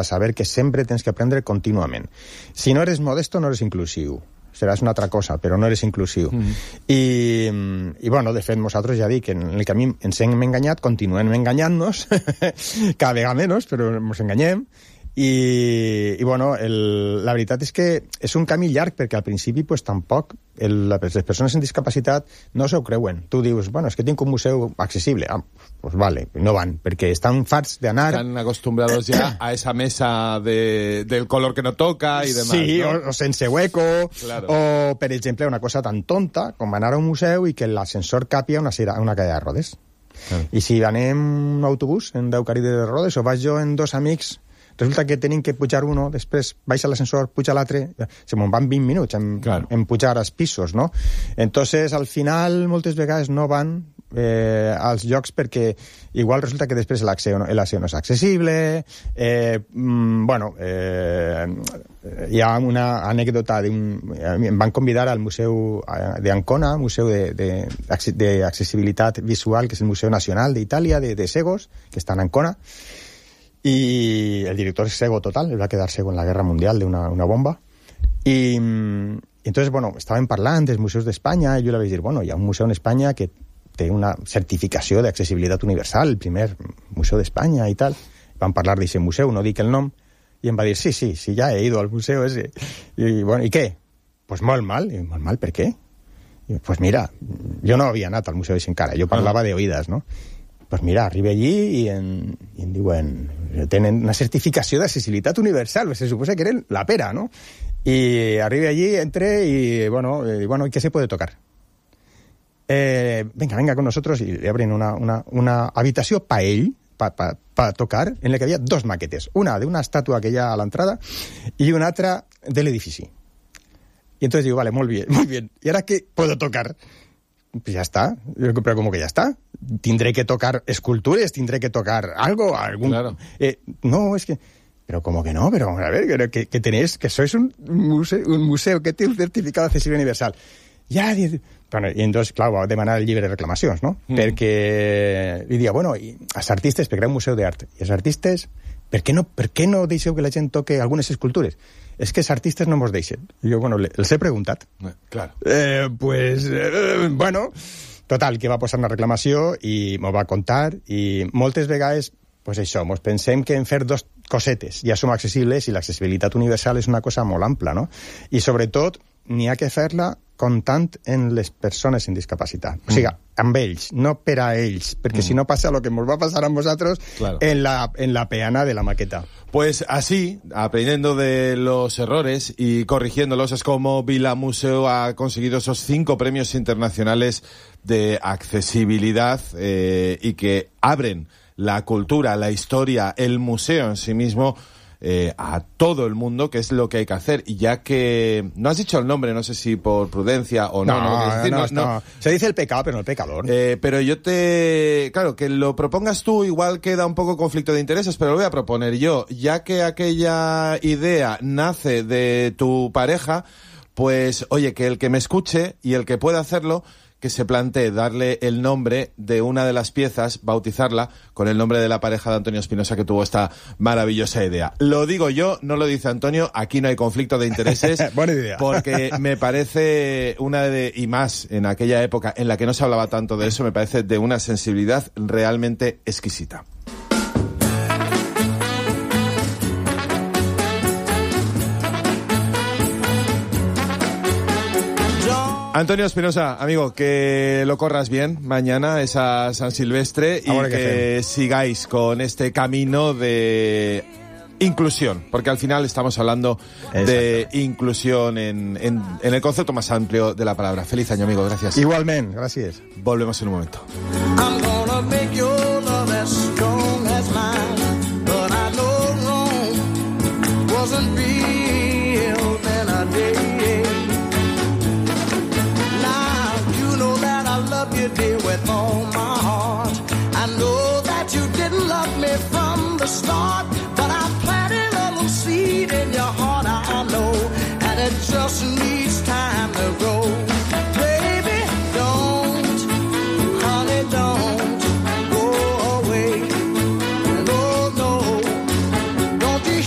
saber que sempre tens que aprendre contínuament. Si no eres modesto, no eres inclusiu. Seràs una altra cosa, però no eres inclusiu. I bueno, de fet, nosaltres ja dic que en el camí ens hem enganyat, continuem enganyant-nos, cada vegada menys, però ens enganyem. I bueno, la veritat és que és un camí llarg, perquè al principi pues, tampoc les persones amb discapacitat no s'ho creuen. Tu dius, bueno, és que tinc un museu accessible. Pues vale, no van, perquè estan farts d'anar... Están acostumbrados ya a esa mesa del color que no toca y demás. Sí, ¿no? o sense hueco, claro. O, per exemple, una cosa tan tonta com anar a un museu i que l'ascensor capi a una cadira de rodes. Claro. I si anem en un autobús, en 10 cadires de rodes, o vaig jo en 2 amics, resulta que tenim que pujar uno, després baixa l'ascensor, puja l'altre, se me'n van 20 minuts en pujar als pisos, no? Entonces, al final, moltes vegades no van als llocs perquè igual resulta que després l'accés no és accessible. Hi ha una anècdota em van convidar al museu d'Ancona, museu d'accessibilitat visual, que és el Museu Nacional d'Itàlia, de cegos, que està en Ancona, y el director es cego total, él va a quedar cego en la guerra mundial de una bomba. Y entonces, bueno, estaven parlant dels museus d'Espanya, i jo li vaig dir, bueno, hi ha un museu en Espanya que té una certificació d'accessibilitat universal, el primer museu d'Espanya i tal. Van parlar d'aquest museu, no dic el nom, i em va dir, sí, ja he ido al museu ese. I bueno, ¿y qué? Pues molt mal. I molt mal, per què? I, pues mira, jo no havia anat al museu ese encara, jo parlava d'oïdes, no? Pues mira, arriba allí i em diuen, tenen una certificació d'accessibilitat universal, se suposa que eren la pera, ¿no? Y arriba allí, entré y bueno, ¿qué se puede tocar? Venga con nosotros, y le abren una habitació pa ell, pa tocar, en la que havia 2 maquetes, una de una estàtua que hi ha a l'entrada i una altra de l'edifici. Y entonces digo, vale, muy bien, ¿y ahora qué puedo tocar? Pues ya está, pero como que ya está. Tendré que tocar esculturas, tendré que tocar algo, Claro. No, es que... Pero como que no, pero a ver, que tenéis, que sois un museu que té un certificat d'accessibilitat universal. Ja, bueno, i entonces, clar, va demanar el llibre de reclamacions, no? Perquè li dia, bueno, i els artistes, perquè era un museu d'art, i els artistes, per què no deixeu que la gent toque algunes escultures? És que els artistes no mos deixen. I jo, bueno, els he preguntat. Claro. Bueno, total, que va posar una reclamació i m'ho va contar, i moltes vegades, pues això, mos pensem que en fer 2 cosetes ja som accessibles, i l'accessibilitat universal és una cosa molt ampla, no? I sobretot, n'hi ha que fer-la comptant en les persones amb discapacitat. O sigui, amb ells, no per a ells, perquè si no passa el que ens va passar a nosaltres, claro, en la peana de la maqueta. Pues así, aprendiendo de los errores y corrigiéndolos, es como Vila Museu ha conseguido esos 5 premios internacionales de accesibilidad y que abren la cultura, la historia, el museo en sí mismo a todo el mundo, que es lo que hay que hacer. Y ya que no has dicho el nombre, no sé si por prudencia o no. No. Se dice el pecado, pero no el pecador. Pero claro, que lo propongas tú igual queda un poco conflicto de intereses, pero lo voy a proponer yo. Ya que aquella idea nace de tu pareja, pues oye, que el que me escuche y el que pueda hacerlo, que se plantee darle el nombre de una de las piezas, bautizarla con el nombre de la pareja de Antonio Espinosa, que tuvo esta maravillosa idea. Lo digo yo, no lo dice Antonio, aquí no hay conflicto de intereses. Buena idea. Porque me parece y más en aquella época en la que no se hablaba tanto de eso, me parece de una sensibilidad realmente exquisita. Antonio Espinosa, amigo, que lo corras bien mañana, esa San Silvestre, y que sigáis con este camino de inclusión, porque al final estamos hablando de inclusión en el concepto más amplio de la palabra. Feliz año, amigo, gracias. Igualmente, gracias. Volvemos en un momento. I'm